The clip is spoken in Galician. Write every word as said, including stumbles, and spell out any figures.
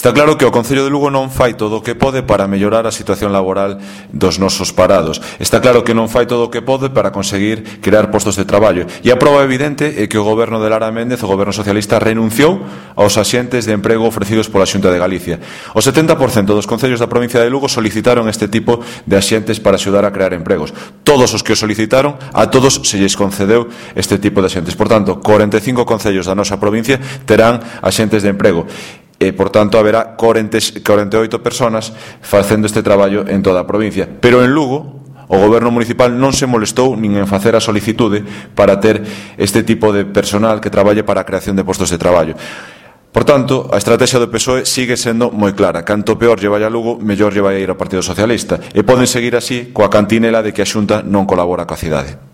Está claro que o Concello de Lugo non fai todo o que pode para mellorar a situación laboral dos nosos parados. Está claro que non fai todo o que pode para conseguir crear postos de traballo. E a prova evidente é que o goberno de Lara Méndez, o goberno socialista, renunciou aos axentes de emprego ofrecidos pola Xunta de Galicia. O setenta por cento dos concellos da provincia de Lugo solicitaron este tipo de axentes para axudar a crear empregos. Todos os que o solicitaron, a todos se lles concedeu este tipo de axentes. Por tanto, corenta e cinco concellos da nosa provincia terán axentes de emprego. E, por tanto, haberá corenta e oito persoas facendo este traballo en toda a provincia. Pero en Lugo, o goberno municipal non se molestou nin en facer a solicitude para ter este tipo de personal que traballe para a creación de postos de traballo. Por tanto, a estrategia do P S O E sigue sendo moi clara. Canto peor lle vai a Lugo, mellor lle vai a ir ao Partido Socialista. E poden seguir así coa cantinela de que a Xunta non colabora coa cidade.